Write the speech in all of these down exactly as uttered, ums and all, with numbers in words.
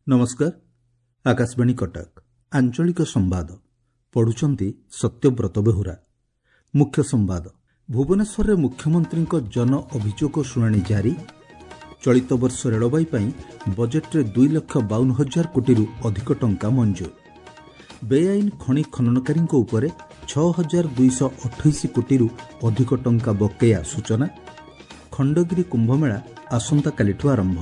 ନମସ୍କାର, ଆକାଶବାଣୀ କଟକ, ଆଞ୍ଚଳିକ ସମ୍ବାଦ ପଢୁଛନ୍ତି ସତ୍ୟବ୍ରତ ବେହୁରା। ମୁଖ୍ୟ ସମ୍ବାଦ। ଭୁବନେଶ୍ୱରରେ ମୁଖ୍ୟମନ୍ତ୍ରୀଙ୍କ ଜନ ଅଭିଯୋଗ ଶୁଣାଣି ଜାରି। ଚଳିତ ବର୍ଷ ରେଳବାଇ ପାଇଁ ବଜେଟ୍ରେ ଦୁଇ ଲକ୍ଷ ବାଉନ ହଜାର କୋଟିରୁ ଅଧିକ ଟଙ୍କା ମଞ୍ଜୁର। ବେଆଇନ ଖଣି ଖନନକାରୀଙ୍କ ଉପରେ ଛଅ ହଜାର ଦୁଇଶହ ଅଠେଇଶ କୋଟିରୁ ଅଧିକ ଟଙ୍କା ବକେୟା ସୂଚନା। ଖଣ୍ଡଗିରି କୁମ୍ଭମେଳା ଆସନ୍ତାକାଲିଠୁ ଆରମ୍ଭ।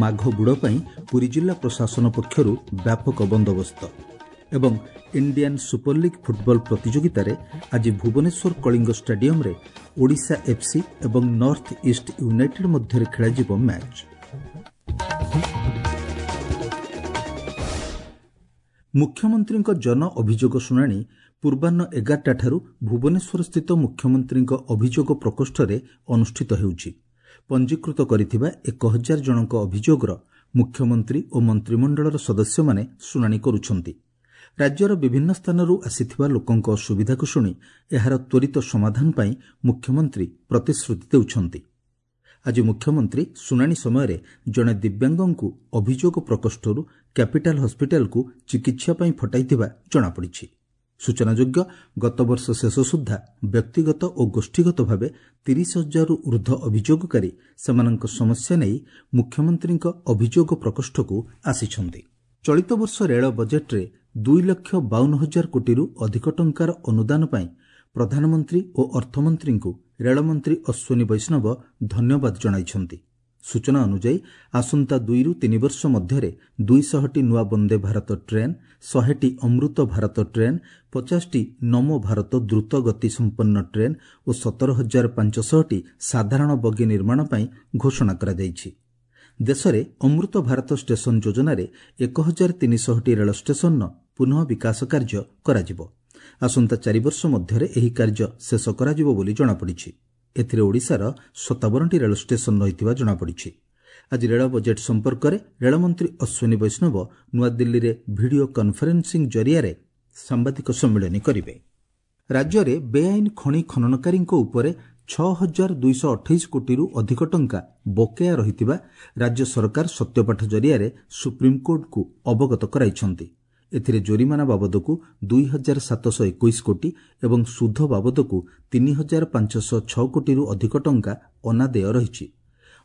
ମାଘ ବୁଡ଼ ପାଇଁ ପୁରୀ ଜିଲ୍ଲା ପ୍ରଶାସନ ପକ୍ଷରୁ ବ୍ୟାପକ ବନ୍ଦୋବସ୍ତ। ଏବଂ ଇଣ୍ଡିଆନ୍ ସୁପରଲିଗ୍ ଫୁଟବଲ ପ୍ରତିଯୋଗିତାରେ ଆଜି ଭୁବନେଶ୍ୱର କଳିଙ୍ଗ ଷ୍ଟାଡିୟମରେ ଓଡ଼ିଶା ଏଫ୍ସି ଏବଂ ନର୍ଥ ଇଷ୍ଟ ୟୁନାଇଟେଡ୍ ମଧ୍ୟରେ ଖେଳାଯିବ ମ୍ୟାଚ୍। ମୁଖ୍ୟମନ୍ତ୍ରୀଙ୍କ ଜନ ଅଭିଯୋଗ ଶୁଣାଣି ପୂର୍ବାହ୍ନ ଏଗାରଟାଠାରୁ ଭୁବନେଶ୍ୱରସ୍ଥିତ ମୁଖ୍ୟମନ୍ତ୍ରୀଙ୍କ ଅଭିଯୋଗ ପ୍ରକୋଷ୍ଠରେ ଅନୁଷ୍ଠିତ ହେଉଛି। ପଞ୍ଜୀକୃତ କରିଥିବା ଏକ ହଜାର ଜଣଙ୍କ ଅଭିଯୋଗର ମୁଖ୍ୟମନ୍ତ୍ରୀ ଓ ମନ୍ତ୍ରିମଣ୍ଡଳର ସଦସ୍ୟମାନେ ଶୁଣାଣି କରୁଛନ୍ତି। ରାଜ୍ୟର ବିଭିନ୍ନ ସ୍ଥାନରୁ ଆସିଥିବା ଲୋକଙ୍କ ଅସୁବିଧାକୁ ଶୁଣି ଏହାର ତ୍ୱରିତ ସମାଧାନ ପାଇଁ ମୁଖ୍ୟମନ୍ତ୍ରୀ ପ୍ରତିଶ୍ରୁତି ଦେଉଛନ୍ତି। ଆଜି ମୁଖ୍ୟମନ୍ତ୍ରୀ ଶୁଣାଣି ସମୟରେ ଜଣେ ଦିବ୍ୟାଙ୍ଗଙ୍କୁ ଅଭିଯୋଗ ପ୍ରକୋଷ୍ଠରୁ କ୍ୟାପିଟାଲ ହସ୍ପିଟାଲକୁ ଚିକିତ୍ସା ପାଇଁ ଫଟାଇଥିବା ଜଣାପଡ଼ିଛି। ସୂଚନାଯୋଗ୍ୟ, ଗତବର୍ଷ ଶେଷ ସୁଦ୍ଧା ବ୍ୟକ୍ତିଗତ ଓ ଗୋଷ୍ଠୀଗତ ଭାବେ ତିରିଶ ହଜାରରୁ ଉର୍ଦ୍ଧ୍ୱ ଅଭିଯୋଗକାରୀ ସେମାନଙ୍କ ସମସ୍ୟା ନେଇ ମୁଖ୍ୟମନ୍ତ୍ରୀଙ୍କ ଅଭିଯୋଗ ପ୍ରକୋଷ୍ଠକୁ ଆସିଛନ୍ତି। ଚଳିତ ବର୍ଷ ରେଳ ବଜେଟ୍ରେ ଦୁଇ ଲକ୍ଷ ବାଉନ ହଜାର କୋଟିରୁ ଅଧିକ ଟଙ୍କାର ଅନୁଦାନ ପାଇଁ ପ୍ରଧାନମନ୍ତ୍ରୀ ଓ ଅର୍ଥମନ୍ତ୍ରୀଙ୍କୁ ରେଳମନ୍ତ୍ରୀ ଅଶ୍ୱିନୀ ବୈଷ୍ଣବ ଧନ୍ୟବାଦ ଜଣାଇଛନ୍ତି। ସୂଚନା ଅନୁଯାୟୀ, ଆସନ୍ତା ଦୁଇରୁ ତିନି ବର୍ଷ ମଧ୍ୟରେ ଦୁଇଶହଟି ନୂଆ ବନ୍ଦେ ଭାରତ ଟ୍ରେନ୍, ଶହେଟି ଅମୃତ ଭାରତ ଟ୍ରେନ୍, ପଚାଶଟି ନମୋ ଭାରତ ଦ୍ରୁତ ଗତି ସମ୍ପନ୍ନ ଟ୍ରେନ୍ ଓ ସତର ହଜାର ପାଞ୍ଚଶହଟି ସାଧାରଣ ବଗି ନିର୍ମାଣ ପାଇଁ ଘୋଷଣା କରାଯାଇଛି। ଦେଶରେ ଅମୃତ ଭାରତ ଷ୍ଟେସନ ଯୋଜନାରେ ଏକ ହଜାର ତିନିଶହଟି ରେଳ ଷ୍ଟେସନର ପୁନଃ ବିକାଶ କାର୍ଯ୍ୟ କରାଯିବ। ଆସନ୍ତା ଚାରି ବର୍ଷ ମଧ୍ୟରେ ଏହି କାର୍ଯ୍ୟ ଶେଷ କରାଯିବ ବୋଲି ଜଣାପଡ଼ିଛି। ଏଥିରେ ଓଡ଼ିଶାର ସତାବନଟି ରେଳ ଷ୍ଟେସନ ରହିଥିବା ଜଣାପଡ଼ିଛି। ଆଜି ରେଳ ବଜେଟ୍ ସମ୍ପର୍କରେ ରେଳମନ୍ତ୍ରୀ ଅଶ୍ୱିନୀ ବୈଷ୍ଣବ ନୂଆଦିଲ୍ଲୀରେ ଭିଡିଓ କନଫରେନ୍ସିଂ ଜରିଆରେ ସାମ୍ବାଦିକ ସମ୍ମିଳନୀ କରିବେ। ରାଜ୍ୟରେ ବେଆଇନ ଖଣି ଖନନକାରୀଙ୍କ ଉପରେ ଛଅ ହଜାର ଦୁଇଶହ ଅଠେଇଶ କୋଟିରୁ ଅଧିକ ଟଙ୍କା ବକେୟା ରହିଥିବା ରାଜ୍ୟ ସରକାର ସତ୍ୟପାଠ ଜରିଆରେ ସୁପ୍ରିମକୋର୍ଟଙ୍କୁ ଅବଗତ କରାଇଛନ୍ତି। ଏଥିରେ ଜୋରିମାନା ବାବଦକୁ ଦୁଇ ହଜାର ସାତଶହ ଏକୋଇଶ କୋଟି ଏବଂ ସୁଧ ବାବଦକୁ ତିନି ହଜାର ପାଞ୍ଚଶହ ଛଅ କୋଟିରୁ ଅଧିକ ଟଙ୍କା ଅନାଦେୟ ରହିଛି।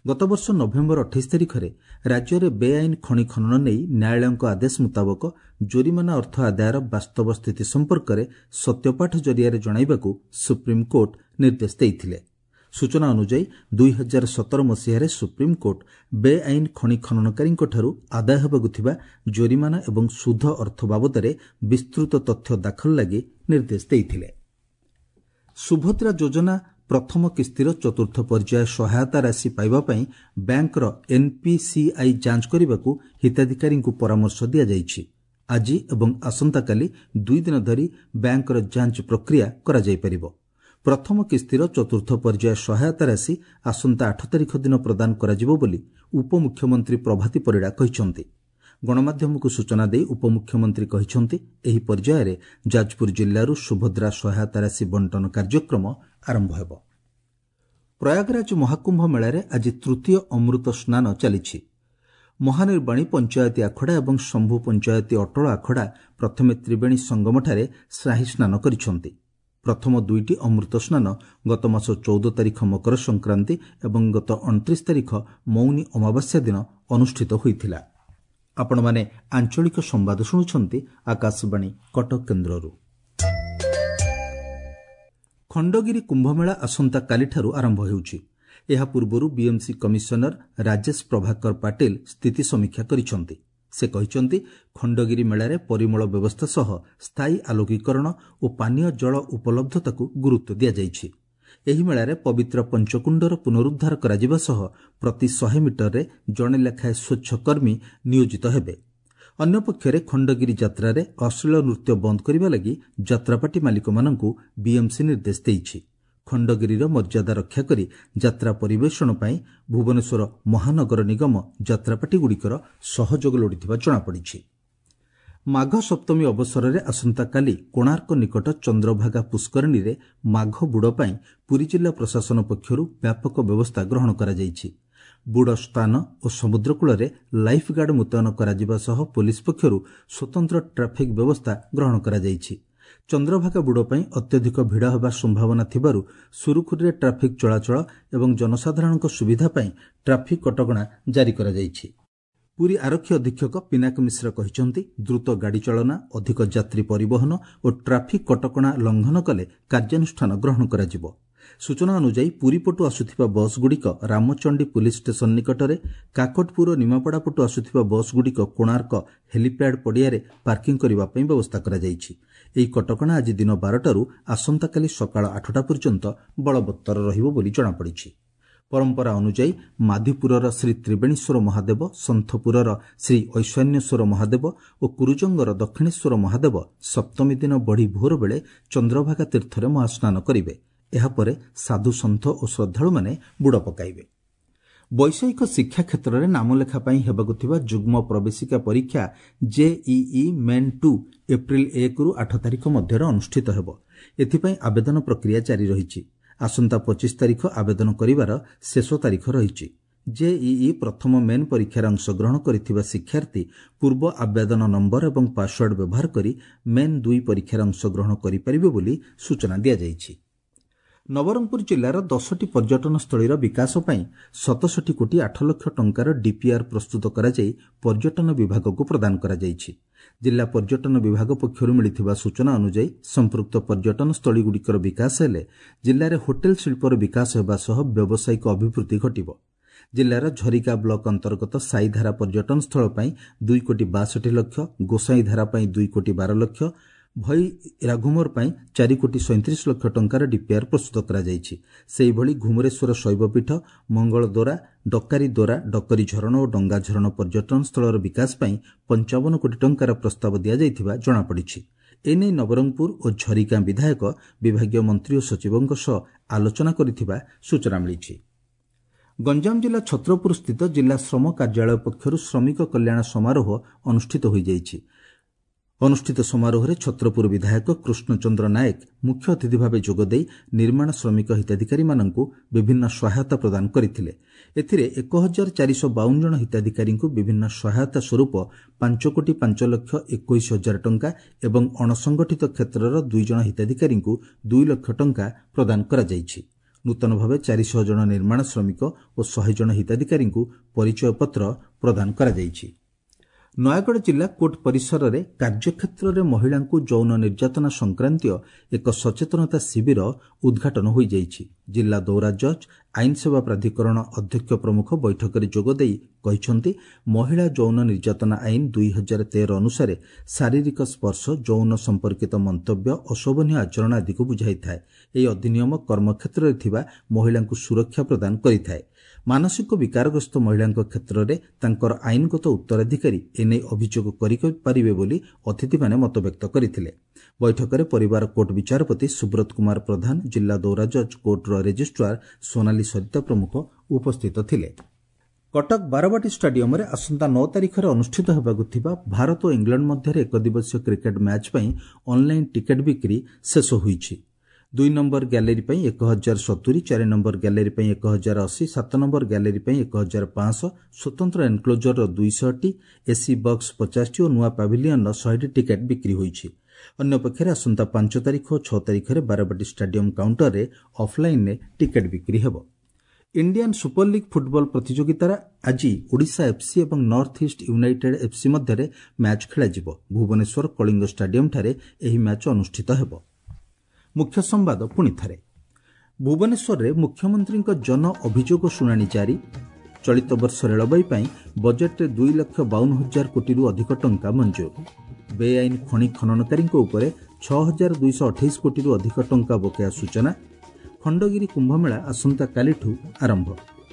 ଗତବର୍ଷ ନଭେମ୍ବର ଅଠେଇଶ ତାରିଖରେ ରାଜ୍ୟରେ ବେଆଇନ ଖଣି ଖନନ ନେଇ ନ୍ୟାୟାଳୟଙ୍କ ଆଦେଶ ମୁତାବକ ଜୋରିମାନା ଅର୍ଥ ଆଦାୟର ବାସ୍ତବ ସ୍ଥିତି ସମ୍ପର୍କରେ ସତ୍ୟପାଠ ଜରିଆରେ ଜଣାଇବାକୁ ସୁପ୍ରିମକୋର୍ଟ ନିର୍ଦ୍ଦେଶ ଦେଇଥିଲେ। ସୂଚନା ଅନୁଯାୟୀ, ଦୁଇ ହଜାର ସତର ମସିହାରେ ସୁପ୍ରିମକୋର୍ଟ ବେଆଇନ ଖଣି ଖନନକାରୀଙ୍କଠାରୁ ଆଦାୟ ହେବାକୁ ଥିବା ଜୋରିମାନା ଏବଂ ସୁଧ ଅର୍ଥ ବାବଦରେ ବିସ୍ତୃତ ତଥ୍ୟ ଦାଖଲ ଲାଗି ନିର୍ଦ୍ଦେଶ ଦେଇଥିଲେ। ସୁଭଦ୍ରା ଯୋଜନା ପ୍ରଥମ କିସ୍ତିର ଚତୁର୍ଥ ପର୍ଯ୍ୟାୟ ସହାୟତା ରାଶି ପାଇବା ପାଇଁ ବ୍ୟାଙ୍କର ଏନ୍ପିସିଆଇ ଯାଞ୍ଚ କରିବାକୁ ହିତାଧିକାରୀଙ୍କୁ ପରାମର୍ଶ ଦିଆଯାଇଛି। ଆଜି ଏବଂ ଆସନ୍ତାକାଲି ଦୁଇ ଦିନ ଧରି ବ୍ୟାଙ୍କର ଯାଞ୍ଚ ପ୍ରକ୍ରିୟା କରାଯାଇପାରିବ। ପ୍ରଥମ କିସ୍ତିର ଚତୁର୍ଥ ପର୍ଯ୍ୟାୟ ସହାୟତା ରାଶି ଆସନ୍ତା ଆଠ ତାରିଖ ଦିନ ପ୍ରଦାନ କରାଯିବ ବୋଲି ଉପମୁଖ୍ୟମନ୍ତ୍ରୀ ପ୍ରଭାତୀ ପରିଡ଼ା କହିଛନ୍ତି। ଗଣମାଧ୍ୟମକୁ ସୂଚନା ଦେଇ ଉପମୁଖ୍ୟମନ୍ତ୍ରୀ କହିଛନ୍ତି, ଏହି ପର୍ଯ୍ୟାୟରେ ଯାଜପୁର ଜିଲ୍ଲାରୁ ସୁଭଦ୍ରା ସହାୟତା ରାଶି ବଣ୍ଟନ କାର୍ଯ୍ୟକ୍ରମ ଆରମ୍ଭ ହେବ। ପ୍ରୟାଗରାଜ ମହାକୁମ୍ଭ ମେଳାରେ ଆଜି ତୃତୀୟ ଅମୃତ ସ୍ନାନ ଚାଲିଛି। ମହାନିର୍ବାଣୀ ପଞ୍ଚାୟତୀ ଆଖଡ଼ା ଏବଂ ଶମ୍ଭୁ ପଞ୍ଚାୟତୀ ଅଟଳ ଆଖଡ଼ା ପ୍ରଥମେ ତ୍ରିବେଣୀ ସଙ୍ଗମଠାରେ ସାହି ସ୍ନାନ କରିଛନ୍ତି। ପ୍ରଥମ ଦୁଇଟି ଅମୃତ ସ୍ନାନ ଗତ ମାସ ଚଉଦ ତାରିଖ ମକର ସଂକ୍ରାନ୍ତି ଏବଂ ଗତ ଅଣତିରିଶ ତାରିଖ ମୌନି ଅମାବାସ୍ୟା ଦିନ ଅନୁଷ୍ଠିତ ହୋଇଥିଲା। ଆପଣମାନେ ଆଞ୍ଚଳିକ ସମ୍ବାଦ ଶୁଣୁଛନ୍ତି ଆକାଶବାଣୀ କଟକ କେନ୍ଦ୍ରରୁ। ଖଣ୍ଡଗିରି କୁମ୍ଭମେଳା ଆସନ୍ତାକାଲିଠାରୁ ଆରମ୍ଭ ହେଉଛି। ଏହା ପୂର୍ବରୁ ବିଏମ୍ସି କମିଶନର ରାଜେଶ ପ୍ରଭାକର ପାଟିଲ ସ୍ଥିତି ସମୀକ୍ଷା କରିଛନ୍ତି। ସେ କହିଛନ୍ତି, ଖଣ୍ଡଗିରି ମେଳାରେ ପରିମଳ ବ୍ୟବସ୍ଥା ସହ ସ୍ଥାୟୀ ଆଲୋକୀକରଣ ଓ ପାନୀୟ ଜଳ ଉପଲବ୍ଧତାକୁ ଗୁରୁତ୍ୱ ଦିଆଯାଇଛି। ଏହି ମେଳାରେ ପବିତ୍ର ପଞ୍ଚକୁଣ୍ଡର ପୁନରୁଦ୍ଧାର କରାଯିବା ସହ ପ୍ରତି ଶହେ ମିଟରରେ ଜଣେ ଲେଖାଏଁ ସ୍ୱଚ୍ଛ କର୍ମୀ ନିୟୋଜିତ ହେବେ। ଅନ୍ୟପକ୍ଷରେ ଖଣ୍ଡଗିରି ଯାତ୍ରାରେ ଅଶ୍ଳୀଳ ନୃତ୍ୟ ବନ୍ଦ କରିବା ଲାଗି ଯାତ୍ରାପାର୍ଟି ମାଲିକମାନଙ୍କୁ ବିଏମ୍ସି ନିର୍ଦ୍ଦେଶ ଦେଇଛି। ଖଣ୍ଡଗିରିର ମର୍ଯ୍ୟାଦା ରକ୍ଷା କରି ଯାତ୍ରା ପରିବେଷଣ ପାଇଁ ଭୁବନେଶ୍ୱର ମହାନଗର ନିଗମ ଯାତ୍ରାପାର୍ଟିଗୁଡ଼ିକର ସହଯୋଗ ଲୋଡ଼ିଥିବା ଜଣାପଡ଼ିଛି। ମାଘ ସପ୍ତମୀ ଅବସରରେ ଆସନ୍ତାକାଲି କୋଣାର୍କ ନିକଟ ଚନ୍ଦ୍ରଭାଗା ପୁଷ୍କରିଣୀରେ ମାଘ ବୁଡ଼ ପାଇଁ ପୁରୀ ଜିଲ୍ଲା ପ୍ରଶାସନ ପକ୍ଷରୁ ବ୍ୟାପକ ବ୍ୟବସ୍ଥା ଗ୍ରହଣ କରାଯାଇଛି। ବୁଡ଼ ସ୍ଥାନ ଓ ସମୁଦ୍ରକୂଳରେ ଲାଇଫ୍ ଗାର୍ଡ ମୁତୟନ କରାଯିବା ସହ ପୋଲିସ ପକ୍ଷରୁ ସ୍ୱତନ୍ତ୍ର ଟ୍ରାଫିକ୍ ବ୍ୟବସ୍ଥା ଗ୍ରହଣ କରାଯାଇଛି। ଚନ୍ଦ୍ରଭାଗା ବୁଡ଼ ପାଇଁ ଅତ୍ୟଧିକ ଭିଡ଼ ହେବା ସମ୍ଭାବନା ଥିବାରୁ ସୁରୁଖୁରୁରେ ଟ୍ରାଫିକ୍ ଚଳାଚଳ ଏବଂ ଜନସାଧାରଣଙ୍କ ସୁବିଧା ପାଇଁ ଟ୍ରାଫିକ୍ କଟକଣା ଜାରି କରାଯାଇଛି। ପୁରୀ ଆରକ୍ଷୀ ଅଧୀକ୍ଷକ ପିନାକ ମିଶ୍ର କହିଛନ୍ତି, ଦ୍ରୁତ ଗାଡ଼ି ଚାଳନା, ଅଧିକ ଯାତ୍ରୀ ପରିବହନ ଓ ଟ୍ରାଫିକ୍ କଟକଣା ଲଙ୍ଘନ କଲେ କାର୍ଯ୍ୟାନୁଷ୍ଠାନ ଗ୍ରହଣ କରାଯିବ। ସୂଚନା ଅନୁଯାୟୀ ପୁରୀ ପଟୁ ଆସୁଥିବା ବସ୍ଗୁଡ଼ିକ ରାମଚଣ୍ଡୀ ପୁଲିସ୍ ଷ୍ଟେସନ ନିକଟରେ, କାକଟପୁର ଓ ନିମାପଡ଼ା ପଟୁ ଆସୁଥିବା ବସ୍ଗୁଡ଼ିକ କୋଣାର୍କ ହେଲିପ୍ୟାଡ୍ ପଡ଼ିଆରେ ପାର୍କିଂ କରିବା ପାଇଁ ବ୍ୟବସ୍ଥା କରାଯାଇଛି। ଏହି କଟକଣା ଆଜି ଦିନ ବାରଟାରୁ ଆସନ୍ତାକାଲି ସକାଳ ଆଠଟା ପର୍ଯ୍ୟନ୍ତ ବଳବତ୍ତର ରହିବ ବୋଲି ଜଣାପଡ଼ିଛି। ପରମ୍ପରା ଅନୁଯାୟୀ ମାଧିପୁରର ଶ୍ରୀ ତ୍ରିବେଣୀଶ୍ୱର ମହାଦେବ, ସନ୍ଥପୁରର ଶ୍ରୀ ଐଶାନ୍ୟେଶ୍ୱର ମହାଦେବ ଓ କୁରୁଜଙ୍ଗର ଦକ୍ଷିଣେଶ୍ୱର ମହାଦେବ ସପ୍ତମୀ ଦିନ ବଢ଼ି ଭୋର ବେଳେ ଚନ୍ଦ୍ରଭାଗା ତୀର୍ଥରେ ମହାସ୍ନାନ କରିବେ। ଏହାପରେ ସାଧୁ ସନ୍ଥ ଓ ଶ୍ରଦ୍ଧାଳୁମାନେ ବୁଡ଼ ପକାଇବେ। ବୈଷୟିକ ଶିକ୍ଷା କ୍ଷେତ୍ରରେ ନାମଲେଖା ପାଇଁ ହେବାକୁ ଥିବା ଯୁଗ୍ମ ପ୍ରବେଶିକା ପରୀକ୍ଷା ଜେଇଇ ମେନ୍ ଟୁ ଏପ୍ରିଲ ଏକରୁ ଆଠ ତାରିଖ ମଧ୍ୟରେ ଅନୁଷ୍ଠିତ ହେବ। ଏଥିପାଇଁ ଆବେଦନ ପ୍ରକ୍ରିୟା ଜାରି ରହିଛି। ଆସନ୍ତା ପଚିଶ ତାରିଖ ଆବେଦନ କରିବାର ଶେଷ ତାରିଖ ରହିଛି। ଜେଇଇ ପ୍ରଥମ ମେନ୍ ପରୀକ୍ଷାରେ ଅଂଶଗ୍ରହଣ କରିଥିବା ଶିକ୍ଷାର୍ଥୀ ପୂର୍ବ ଆବେଦନ ନମ୍ବର ଏବଂ ପାସୱାର୍ଡ ବ୍ୟବହାର କରି ମେନ୍ ଦୁଇ ପରୀକ୍ଷାରେ ଅଂଶଗ୍ରହଣ କରିପାରିବେ ବୋଲି ସୂଚନା ଦିଆଯାଇଛି। ନବରଙ୍ଗପୁର ଜିଲ୍ଲାର ଦଶଟି ପର୍ଯ୍ୟଟନସ୍ଥଳୀର ବିକାଶ ପାଇଁ ସତଷଠି କୋଟି ଆଠ ଲକ୍ଷ ଟଙ୍କାର ଡିପିଆର୍ ପ୍ରସ୍ତୁତ କରାଯାଇ ପର୍ଯ୍ୟଟନ ବିଭାଗକୁ ପ୍ରଦାନ କରାଯାଇଛି। ଜିଲ୍ଲା ପର୍ଯ୍ୟଟନ ବିଭାଗ ପକ୍ଷରୁ ମିଳିଥିବା ସୂଚନା ଅନୁଯାୟୀ ସମ୍ପୃକ୍ତ ପର୍ଯ୍ୟଟନସ୍ଥଳୀଗୁଡ଼ିକର ବିକାଶ ହେଲେ ଜିଲ୍ଲାରେ ହୋଟେଲ ଶିଳ୍ପର ବିକାଶ ହେବା ସହ ବ୍ୟବସାୟିକ ଅଭିବୃଦ୍ଧି ଘଟିବ। ଜିଲ୍ଲାର ଝରିକା ବ୍ଲକ ଅନ୍ତର୍ଗତ ସାଇଧାରା ପର୍ଯ୍ୟଟନସ୍ଥଳ ପାଇଁ ଦୁଇ କୋଟି ବାଷଠି ଲକ୍ଷ, ଗୋସାଇଁଧାରା ପାଇଁ ଦୁଇ କୋଟି ବାର ଲକ୍ଷ, ଭଇ ରାଘୁମର ପାଇଁ ଚାରି କୋଟି ସଇଁତିରିଶ ଲକ୍ଷ ଟଙ୍କାର ଡିପିଆର୍ ପ୍ରସ୍ତୁତ କରାଯାଇଛି। ସେହିଭଳି ଘୁମୁରେଶ୍ୱର ଶୈବପୀଠ, ମଙ୍ଗଳଦୋରା, ଡକାରୀ ଦୋରା, ଡକରୀ ଝରଣ ଓ ଡଙ୍ଗା ଝରଣ ପର୍ଯ୍ୟଟନସ୍ଥଳର ବିକାଶ ପାଇଁ ପଞ୍ଚାବନ କୋଟି ଟଙ୍କାର ପ୍ରସ୍ତାବ ଦିଆଯାଇଥିବା ଜଣାପଡ଼ିଛି। ଏନେଇ ନବରଙ୍ଗପୁର ଓ ଝରିଗାଁ ବିଧାୟକ ବିଭାଗୀୟ ମନ୍ତ୍ରୀ ଓ ସଚିବଙ୍କ ସହ ଆଲୋଚନା କରିଥିବା ସୂଚନା ମିଳିଛି। ଗଞ୍ଜାମ ଜିଲ୍ଲା ଛତ୍ରପୁର ସ୍ଥିତ ଜିଲ୍ଲା ଶ୍ରମ କାର୍ଯ୍ୟାଳୟ ପକ୍ଷରୁ ଶ୍ରମିକ କଲ୍ୟାଣ ସମାରୋହ ଅନୁଷ୍ଠିତ ହୋଇଯାଇଛି। ଅନୁଷ୍ଠିତ ସମାରୋହରେ ଛତ୍ରପୁର ବିଧାୟକ କୃଷ୍ଣଚନ୍ଦ୍ର ନାୟକ ମୁଖ୍ୟ ଅତିଥି ଭାବେ ଯୋଗଦେଇ ନିର୍ମାଣ ଶ୍ରମିକ ହିତାଧିକାରୀମାନଙ୍କୁ ବିଭିନ୍ନ ସହାୟତା ପ୍ରଦାନ କରିଥିଲେ। ଏଥିରେ ଏକ ହଜାର ଚାରିଶହ ବାଉନ ଜଣ ହିତାଧିକାରୀଙ୍କୁ ବିଭିନ୍ନ ସହାୟତା ସ୍ୱରୂପ ପାଞ୍ଚ କୋଟି ପାଞ୍ଚ ଲକ୍ଷ ଏକୋଇଶ ହଜାର ଟଙ୍କା ଏବଂ ଅଣସଂଗଠିତ କ୍ଷେତ୍ରର ଦୁଇ ଜଣ ହିତାଧିକାରୀଙ୍କୁ ଦୁଇ ଲକ୍ଷ ଟଙ୍କା ପ୍ରଦାନ କରାଯାଇଛି। ନୂତନ ଭାବେ ଚାରିଶହ ଜଣ ନିର୍ମାଣ ଶ୍ରମିକ ଓ ଶହେ ଜଣ ହିତାଧିକାରୀଙ୍କୁ ପରିଚୟପତ୍ର ପ୍ରଦାନ କରାଯାଇଛି। ନୟାଗଡ଼ ଜିଲ୍ଲା କୋର୍ଟ ପରିସରରେ କାର୍ଯ୍ୟକ୍ଷେତ୍ରରେ ମହିଳାଙ୍କୁ ଯୌନ ନିର୍ଯାତନା ସଂକ୍ରାନ୍ତୀୟ ଏକ ସଚେତନତା ଶିବିର ଉଦ୍ଘାଟନ ହୋଇଯାଇଛି। ଜିଲ୍ଲା ଦୌରା ଜଜ୍, ଆଇନ ସେବା ପ୍ରାଧିକରଣ ଅଧ୍ୟକ୍ଷ ପ୍ରମୁଖ ବୈଠକରେ ଯୋଗଦେଇ କହିଛନ୍ତି, ମହିଳା ଯୌନ ନିର୍ଯାତନା ଆଇନ ଦୁଇ ହଜାର ତେର ଅନୁସାରେ ଶାରୀରିକ ସ୍ପର୍ଶ, ଯୌନ ସମ୍ପର୍କିତ ମନ୍ତବ୍ୟ, ଅଶୋଭନୀୟ ଆଚରଣ ଆଦିକୁ ବୁଝାଇଥାଏ। ଏହି ଅଧିନିୟମ କର୍ମକ୍ଷେତ୍ରରେ ଥିବା ମହିଳାଙ୍କୁ ସୁରକ୍ଷା ପ୍ରଦାନ କରିଥାଏ। ମାନସିକ ବିକାରଗ୍ରସ୍ତ ମହିଳାଙ୍କ କ୍ଷେତ୍ରରେ ତାଙ୍କର ଆଇନଗତ ଉତ୍ତରାଧିକାରୀ ଏନେଇ ଅଭିଯୋଗ କରିପାରିବେ ବୋଲି ଅତିଥିମାନେ ମତବ୍ୟକ୍ତ କରିଥିଲେ। ବୈଠକରେ ପରିବାର କୋର୍ଟ ବିଚାରପତି ସୁବ୍ରତ କୁମାର ପ୍ରଧାନ, ଜିଲ୍ଲା ଦୌରା ଜଜ୍ କୋର୍ଟର ରେଜିଷ୍ଟ୍ରାର ସୋନାଲି ସରିତା ପ୍ରମୁଖ ଉପସ୍ଥିତ ଥିଲେ। କଟକ ବାରବାଟୀ ଷ୍ଟାଡିୟମରେ ଆସନ୍ତା ନଅ ତାରିଖରେ ଅନୁଷ୍ଠିତ ହେବାକୁ ଥିବା ଭାରତ ଓ ଇଂଲଣ୍ଡ ମଧ୍ୟରେ ଏକଦିବସୀୟ କ୍ରିକେଟ୍ ମ୍ୟାଚ୍ ପାଇଁ ଅନ୍ଲାଇନ୍ ଟିକେଟ୍ ବିକ୍ରି ଶେଷ ହୋଇଛି। ଦୁଇ ନମ୍ବର ଗ୍ୟାଲେରୀ ପାଇଁ ଏକ ହଜାର ସତୁରି, ଚାରି ନମ୍ବର ଗ୍ୟାଲେରୀ ପାଇଁ ଏକ ହଜାର ଅଶୀ, ସାତ ନମ୍ବର ଗ୍ୟାଲେରୀ ପାଇଁ ଏକ ହଜାର ପାଞ୍ଚଶହ, ସ୍ୱତନ୍ତ୍ର ଏନ୍କ୍ଲୋଜରର ଦୁଇଶହଟି, ଏସି ବକ୍ସ ପଚାଶଟି ଓ ନୂଆ ପାଭିଲିୟନର ଶହେଟି ଟିକେଟ୍ ବିକ୍ରି ହୋଇଛି। ଅନ୍ୟପକ୍ଷରେ ଆସନ୍ତା ପାଞ୍ଚ ତାରିଖ ଓ ଛଅ ତାରିଖରେ ବାରବାଟୀ ଷ୍ଟାଡିୟମ କାଉଣ୍ଟରରେ ଅଫ୍ଲାଇନ୍ରେ ଟିକେଟ୍ ବିକ୍ରି ହେବ। ଇଣ୍ଡିଆନ୍ ସୁପର ଲିଗ୍ ଫୁଟବଲ ପ୍ରତିଯୋଗିତାରେ ଆଜି ଓଡ଼ିଶା ଏଫ୍ସି ଏବଂ ନର୍ଥ ଇଷ୍ଟ ୟୁନାଇଟେଡ୍ ଏଫ୍ସି ମଧ୍ୟରେ ମ୍ୟାଚ୍ ଖେଳାଯିବ। ଭୁବନେଶ୍ୱର କଳିଙ୍ଗ ଷ୍ଟାଡିୟମଠାରେ ଏହି ମ୍ୟାଚ୍ ଅନୁଷ୍ଠିତ ହେବ। ମୁଖ୍ୟ ସମ୍ବାଦ ପୁଣି ଥରେ। ଭୁବନେଶ୍ୱରରେ ମୁଖ୍ୟମନ୍ତ୍ରୀଙ୍କ ଜନ ଅଭିଯୋଗ ଶୁଣାଣି ଜାରି। ଚଳିତ ବର୍ଷ ରେଳବାଇ ପାଇଁ ବଜେଟ୍ରେ ଦୁଇ ଲକ୍ଷ ବାଉନ ହଜାର କୋଟିରୁ ଅଧିକ ଟଙ୍କା ମଞ୍ଜୁର। ବେଆଇନ ଖଣି ଖନନକାରୀଙ୍କ ଉପରେ ଛଅ ହଜାର ଦୁଇଶହ ଅଠେଇଶ କୋଟିରୁ ଅଧିକ ଟଙ୍କା ବକେୟା ସୂଚନା। ଖଣ୍ଡଗିରି କୁମ୍ଭମେଳା ଆସନ୍ତାକାଲିଠୁ ଆରମ୍ଭ।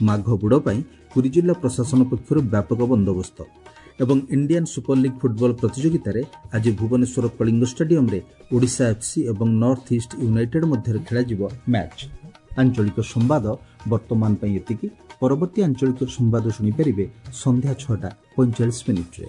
ମାଘ ବୁଡ଼ ପାଇଁ ପୁରୀ ଜିଲ୍ଲା ପ୍ରଶାସନ ପକ୍ଷରୁ ବ୍ୟାପକ ବନ୍ଦୋବସ୍ତ। ଏବଂ ଇଣ୍ଡିଆନ୍ ସୁପର ଲିଗ୍ ଫୁଟବଲ ପ୍ରତିଯୋଗିତାରେ ଆଜି ଭୁବନେଶ୍ୱର କଳିଙ୍ଗ ଷ୍ଟାଡିୟମରେ ଓଡ଼ିଶା ଏଫ୍ସି ଏବଂ ନର୍ଥ ଇଷ୍ଟ ୟୁନାଇଟେଡ୍ ମଧ୍ୟରେ ଖେଳାଯିବ ମ୍ୟାଚ୍। ଆଞ୍ଚଳିକ ସମ୍ବାଦ ବର୍ତ୍ତମାନ ପାଇଁ ଏତିକି। ପରବର୍ତ୍ତୀ ଆଞ୍ଚଳିକ ସମ୍ବାଦ ଶୁଣିପାରିବେ ସନ୍ଧ୍ୟା ଛଅଟା ପଇଁଚାଳିଶ ମିନିଟ୍ରେ।